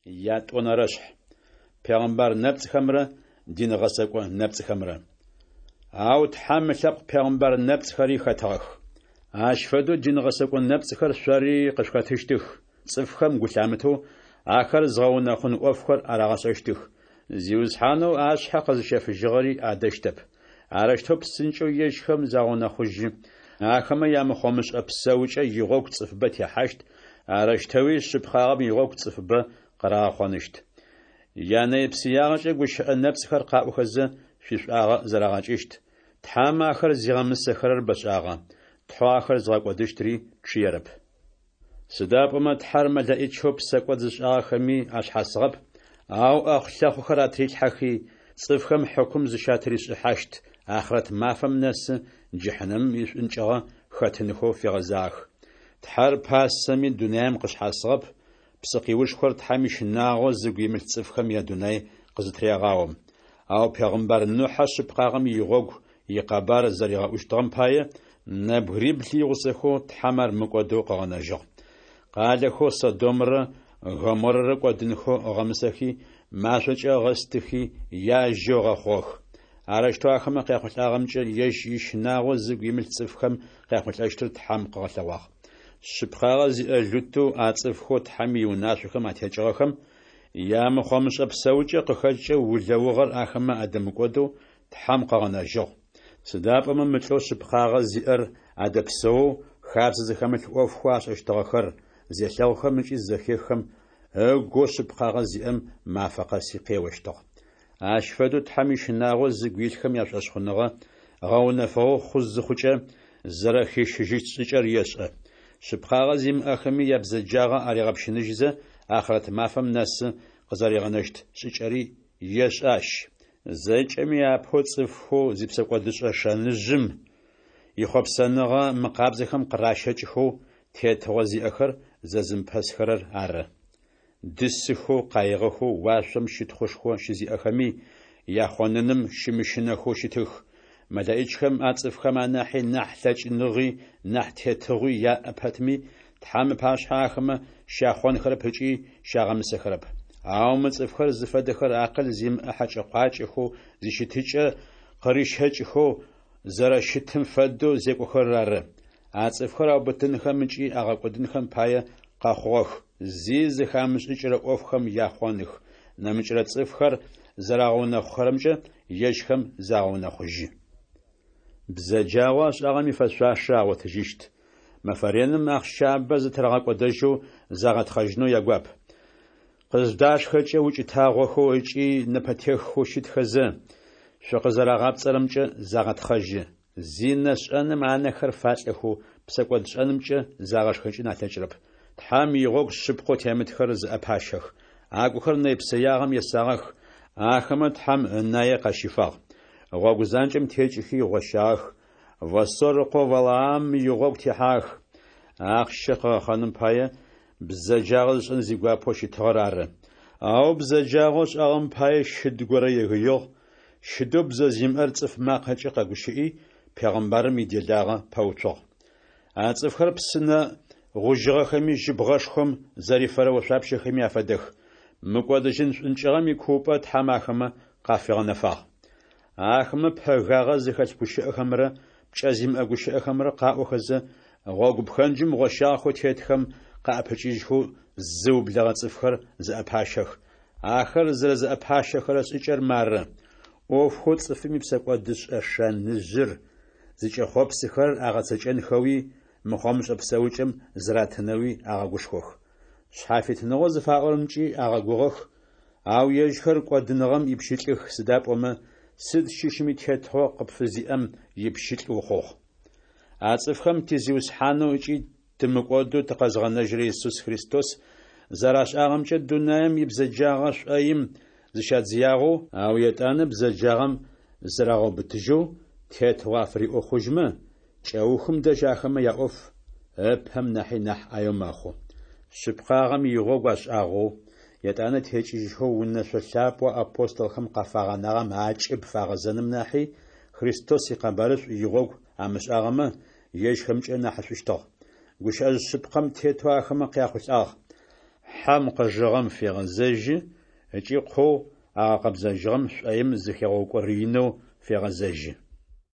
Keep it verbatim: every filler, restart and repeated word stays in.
Ятӏонэрэшъхь. Пегъымбар нэпцӏхэмрэ дин гъэсэкӏо нэпцӏхэмрэ. Ау Тхьэм ылъэпкъ пегъымбар нэпцӏхэри хэтыгъэх. Ащ фэдэу дин гъэсэкӏо нэпцӏхэр шъори къышъухэтыщтых. Цӏыфхэм гу лъамытэу, ахэр зыгъэунэхъун ӏофхэр арагъэшӏэщтых. Зиусхьанэу ашъхьэ къэзыщэфыжьыгъэри адэщтэп. Арэущтэу псынкӏэу ежьхэм загъэунэхъужьы. Ахэмэ ямыхъомышӏэ псэукӏэ игъогу цӏыфыбэ техьащт, арэущтэуи шъыпкъагъэм игъогу цӏыфыбэ къырагъэхъоныщт. Янэпсыягъэкӏэ гущыӏэ нэпцӏхэр къаӏохэзэ, шъуишӏуагъэ зэрагъэкӏыщт. Тхьэм ахэр зигъэмысэхэрэр бэшӏагъэ, Тхьэу ахэр зыгъэкӏодыщтри чъыерэп. Сыда пӏомэ Тхьэр мэлэӏичэу псэкӏод зышӏагъэхэми ашъхьасыгъэп, ау ӏэхъулъэхъухэр атрилъхьэхи, цӏыфхэм хьыкум зыщатришӏыхьащт ахърэт мафэм нэсы джыхьнэмым ишӏункӏыгъэ хэтынхэу фигъэзагъэх. Тхьэр пасэми дунаим къышъхьасыгъэп, псыкъиушхор Тхьэм ищынагъо зыгу имылъ цӏыфхэм ядунай къызытырегъаом. Ау пегъымбар Нухьэ шъыпкъагъэм игъогу икъэбар зэригъэӏущтыгъэм пае, нэбгырибл игъусэхэу Тхьэм ар мыкӏодэу къыгъэнэжьыгъ. Къалэхэу Содомрэ Гоморрэ кӏодынхэу ыгъэмысэхи, машӏокӏэ ыгъэстыхи, яжьэу ыгъэхъугъэх. Арэущтэу ахэмэ къяхъулӏагъэмкӏэ ежь ищынагъо зыгу имылъ цӏыфхэм къяхъулӏэщтыр Тхьэм къыгъэлъэгъуагъ. Шъыпкъагъэ зиӏэ Лутэу а цӏыфхэу Тхьэм иунашъохэм атекӏыгъэхэм ямыхъомышӏэ псэукӏэ къыхэкӏкӏэ улэугъэр ахэмэ адэмыкӏодэу Тхьэм къыгъэнэжьыгъ. Сыда пӏомэ мы лӏэу шъыпкъагъэ зиӏэр адэпсэоу, хабзэ зыхэмылъ ӏофхэу ашӏэщтыгъэхэр зелъэгъухэм ыкӏи зызэхеххэм, ыгоу шъыпкъагъэ зиӏэм мафэ къэси къеощтыгъ. Ащ фэдэу Тхьэм ищынагъо зыгу илъхэм яшӏошъхъуныгъэ гъэунэфыгъэ хъу зыхъукӏэ, зэрэхищыжьыщт шӏыкӏэр ешӏэ. Шъыпкъагъэ зимыӏэхэми ябзэджагъэ аригъэпщыныжьызэ, ахърэт мафэм нэсы къызэригъэнэщт шӏыкӏэри ешӏэ ащ. Зэкӏэми апэу цӏыфхэу зипсэкӏодышӏэ шэныжъым ихъопсэныгъэ мыкъабзэхэм къыращэкӏхэу тетыгъо зиӏэхэр зэзымыпэсхэрэр ары. Дысыхэу, къаигъэхэу, уашъом щытхъушхо щызиӏэхэми яхъоныным щымыщынэхэу щытых. МэлэӀичхэм а цӏыфхэм анахьи нахь лъэкӏыныгъи нахь тетыгъуи яӏэ пэтми, Тхьэм ыпашъхьэ ахэмэ щяхъонхэрэп ыкӏи щагъэмысэхэрэп. Ау мы цӏыфхэр зыфэдэхэр акъыл зимыӏэ хьэкӏэ-къуакӏэхэу зищытыкӏэ къырищэкӏхэу зэрэщытым фэдэу зекӏохэрэр ары. А цӏыфхэр аубытынхэм ыкӏи агъэкӏодынхэм пае къэхъугъэх, зи зэхамышӏыкӏырэ ӏофхэм яхъоных, нэмыкӏырэ цӏыфхэр зэрагъэунэхъухэрэмкӏэ ежьхэм загъэунэхъужьы. Бзэджагъэу ашӏагъэм ифэшъуашэ агъотыжьыщт. Мэфэ реным ахъщабэ зытырагъэкӏодэжьэу загъэтхъэжьынэу ягуап. Къыздашхэкӏэ укӏытагъохэу ыкӏи нэпэтеххэу щытхэзэ, шъукъызэрагъапцӏэрэмкӏэ загъэтхъэжьы. Зинэ шӏэным анэхэр фалӏэхэу, псэкӏодшӏэнымкӏэ загъэшхэкӏын алъэкӏырэп. Тхьэм игъогу шъыпкъэу темытхэр зыӏэпащэх. Агухэр нэйпсэягъэм есагъэх, ахэмэ Тхьэм ынае къащифагъ. Гъогу занкӏэм текӏыхи гъощагъэх, Восор ыкъоу Валаам игъогу техьагъэх. Ахъщэ къыгъэхъэным пае бзэджагъэ зышӏэн зигуапэу щытыгъэр ары. Ау бзэджагъэу ышӏагъэм пае щыд горэ егыигъ, щыдэу бзэ зимыӏэр цӏыф макъэкӏэ къэгущыӏи, пегъымбарым иделагъэ пэуцугъ. А цӏыфхэр псынэ гъужьыгъэхэми жьыбгъэшхом зэрифэрэ ошъуапщэхэми афэдэх. Мыкӏодыжьын шӏункӏыгъэм икуупӏэ Тхьэм ахэмэ къафигъэнэфагъ. Ахэмэ пэгагъэ зыхэлъ гущыӏэхэмрэ пкӏэ зимыӏэ гущыӏэхэмрэ къаӏохэзэ, гъогу пхэнджым гъощагъэхэу тетхэм къаӏэпыкӏыжьхэу зыублэгъэ цӏыфхэр зыӏэпащэх. Ахэр зэрэзыӏэпащэхэрэ шӏыкӏэр мары: ӏофхэу цӏыфым ипсэкӏодышӏэ шэныжъыр зыкӏэхъопсыхэрэр агъэцэкӏэнхэуи, мыхъомышӏэ псэукӏэм зыратынэуи агъэгушхох. Шъхьафитыныгъэу зыфаӏорэмкӏи агъэгугъэх, ау ежьхэр кӏодыныгъэм ипщылӏых, сыда пӏомэ сыд щыщми тетыгъо къыпфызиӏэм ипщылӏ ухъугъ. А цӏыфхэм ти Зиусхьанэу ыкӏи тымыкӏодэу тыкъэзгъэнэжьырэ Исус Христос зэрашӏагъэмкӏэ дунаим ибзэджагъэ шӏоим зыщадзыягъэу, ау етӏанэ бзэджагъэм зырагъэубытыжьэу тетыгъо афыриӏо хъужьмэ, кӏэухым дэжь ахэмэ яӏоф ыпэм нахьи нахь ӏаеу мэхъу. Шъыпкъагъэм игъогу ашӏагъэу, етӏанэ текӏыжьхэу унэшъо лъапӏэу апостолхэм къафагъэнагъэм акӏыб фагъэзэным нахьи, Христос икъэбарышӏу игъогу амышӏагъэмэ, ежьхэмкӏэ нахьышӏущтыгъ. Гущыӏэжъ шъыпкъэм тетэу ахэмэ къяхъулӏагъ: Хьэм къыжыгъэм фегъэзэжьы, ыкӏи кхъоу агъэкъэбзэжьыгъэм шӏоим зыхигъэукӏорэинэу фегъэзэжьы.